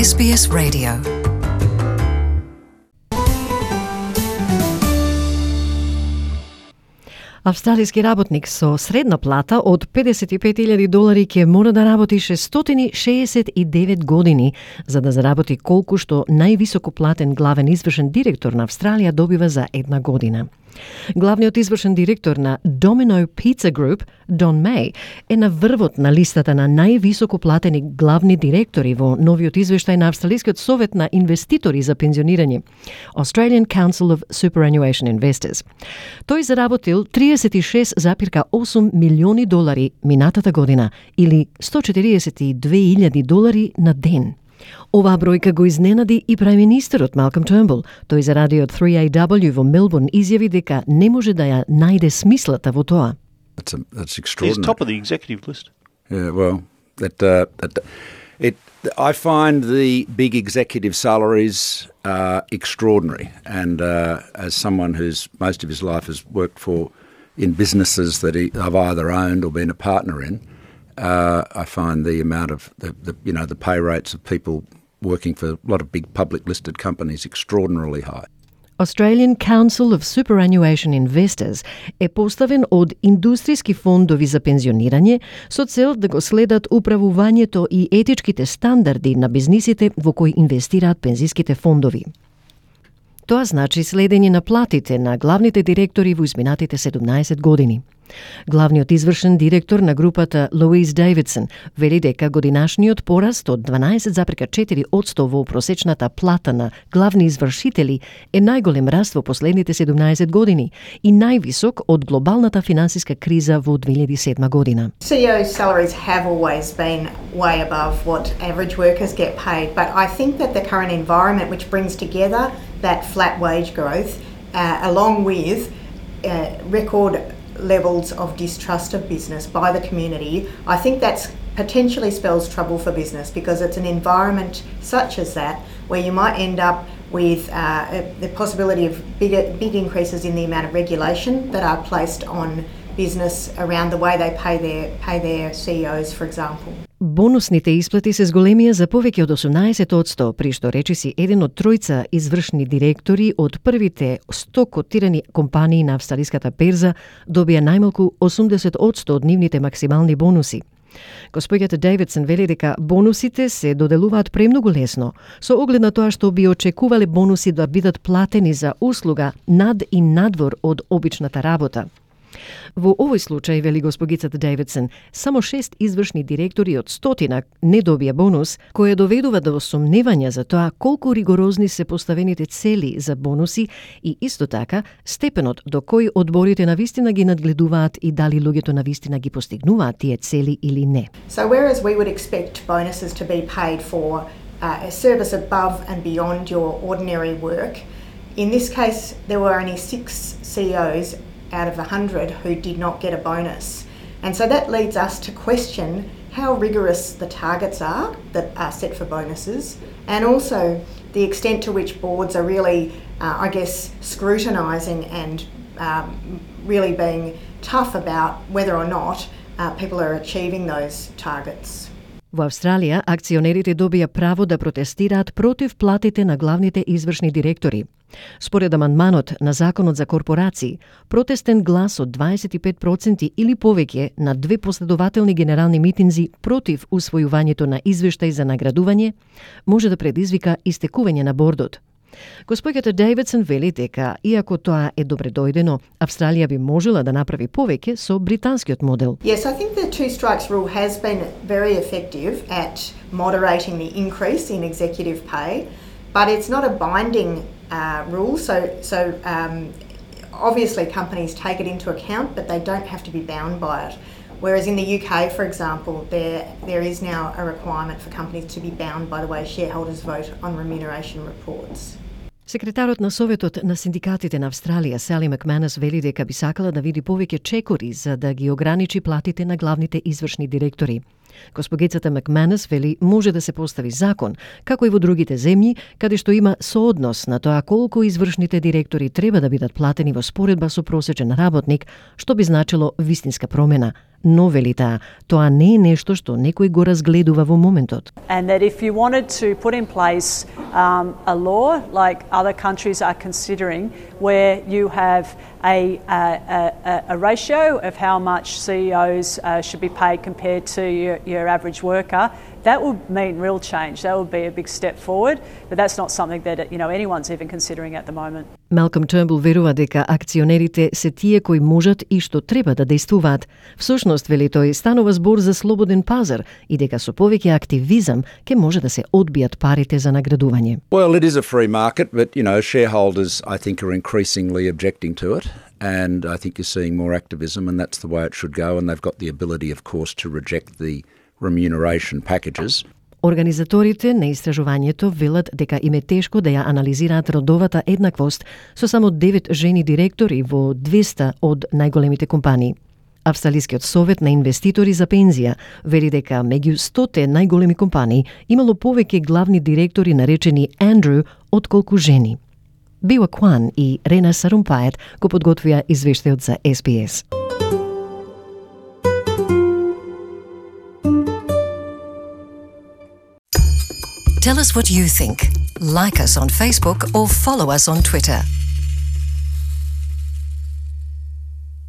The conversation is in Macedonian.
SBS Radio. Австралиски работник со средна плата од $55,000 ќе мора да работи 669 години за да заработи колку што највисоко платен главен извршен директор на Австралија добива за една година. Главниот извршен директор на Domino Pizza Group, Don May, е на врвот на листата на највисоко платени главни директори во новиот извештај на Австралискиот совет на инвеститори за пензионирање, Australian Council of Superannuation Investors. Тој заработил $36,8 милиони минатата година или $142,000 на ден. Оваа бројка го изненади и премиерот Малком Турнбул. Тој за радиот 3AW во Мелбурн изјави дека не може да ја најде смислата во тоа. That's extraordinary. He's top of the executive list. Yeah, well, I find the big executive salaries extraordinary, and as someone who's most of his life has worked for in businesses that I've either owned or been a partner in, I find the amount of the pay rates of people working for a lot of big public listed companies extraordinarily high. Australian Council of Superannuation Investors е поставен од индустријски фондови за пензионирање со цел да го следат управувањето и етичките стандарди на бизнисите во кои инвестираат пензиските фондови. Тоа значи следење на платите на главните директори во изминатите 17 години. Главниот извршен директор на групата Луис Дейвидсон вели дека годинашниот пораст од 12,4% во просечната плата на главни извршители е најголем раст во последните 17 години и највисок од глобалната финансиска криза во 2007 година. CEO salaries have always been way above what average workers get paid, but I think that the current environment which brings together that flat wage growth along with record levels of distrust of business by the community, I think that's potentially spells trouble for business because it's an environment such as that where you might end up with the possibility of big increases in the amount of regulation that are placed on business around the way they pay their CEOs, for example. Бонусните исплати се зголемија за повеќе од 18%, при што речиси еден од тројца извршни директори од првите 100 котирани компании на австралиската берза добија најмалку 80% од нивните максимални бонуси. Господјата Дейвидсон вели дека бонусите се доделуваат премногу лесно, со оглед на тоа што би очекувале бонуси да бидат платени за услуга над и надвор од обичната работа. Во овој случај, вели госпогицата Дейвидсон, само 6 извршни директори од 100 не добија бонус, која доведува до сомневања за тоа колку ригорозни се поставените цели за бонуси и исто така степенот до кој одборите навистина ги надгледуваат и дали луѓето навистина ги постигнуваат тие цели или не. So whereas we would expect bonuses to be paid for a service above and beyond your ordinary work, in this case there were only 6 CEOs out of 100 who did not get a bonus. And so that leads us to question how rigorous the targets are that are set for bonuses, and also the extent to which boards are really, scrutinising and really being tough about whether or not people are achieving those targets. Во Австралија, акционерите добија право да протестираат против платите на главните извршни директори. Според амандманот на Законот за корпорации, протестен глас од 25% или повеќе на 2 последователни генерални митинзи против усвојувањето на извештај за наградување може да предизвика истекување на бордот. Господјата Дейвидсон вели дека, иако тоа е добре дојдено, Австралија би можела да направи повеќе со британскиот модел. Yes, I think the two strikes rule has been very effective at moderating the increase in executive pay, but it's not a binding rule. So obviously companies take it into account, but they don't have to be bound by it. Whereas in the UK, for example, there is now a requirement for companies to be bound by the way shareholders vote on remuneration reports. Секретарот на Советот на синдикатите на Австралија, Сали Макманус, вели дека би сакала да види повеќе чекори за да ги ограничи платите на главните извршни директори. Госпогицата Макманус вели може да се постави закон, како и во другите земји, каде што има сооднос на тоа колку извршните директори треба да бидат платени во споредба со просечен работник, што би значило вистинска промена, но вели таа, тоа не е нешто што некој го разгледува во моментот. And that if you wanted to put in place a law like other countries are considering, where you have a ratio of how much CEOs should be paid compared to your average worker, that would mean real change. That would be a big step forward, but that's not something that anyone's even considering at the moment. Малком Turnbull верува дека акционерите се тие кои можат и што треба да действуваат. Всушност, вели тој, станува збор за слободен пазар и дека со повеќе активизам ќе може да се одбијат парите за наградување. Well, it is a free market, but shareholders, I think, are increasingly objecting to it, and I think you're seeing more activism, and that's the way it should go, and they've got the ability, of course, to reject the remuneration packages. Организаторите на истражувањето велат дека им е тешко да ја анализираат родовата еднаквост со само 9 жени директори во 200 од најголемите компании. Австралискиот совет на инвеститори за пензија вели дека меѓу 100 најголеми компании имало повеќе главни директори наречени Андрю отколку жени. Била Кван и Рена Сарумпајет го подготвија извештајот за SBS. Tell us what you think. Like us on Facebook or follow us on Twitter.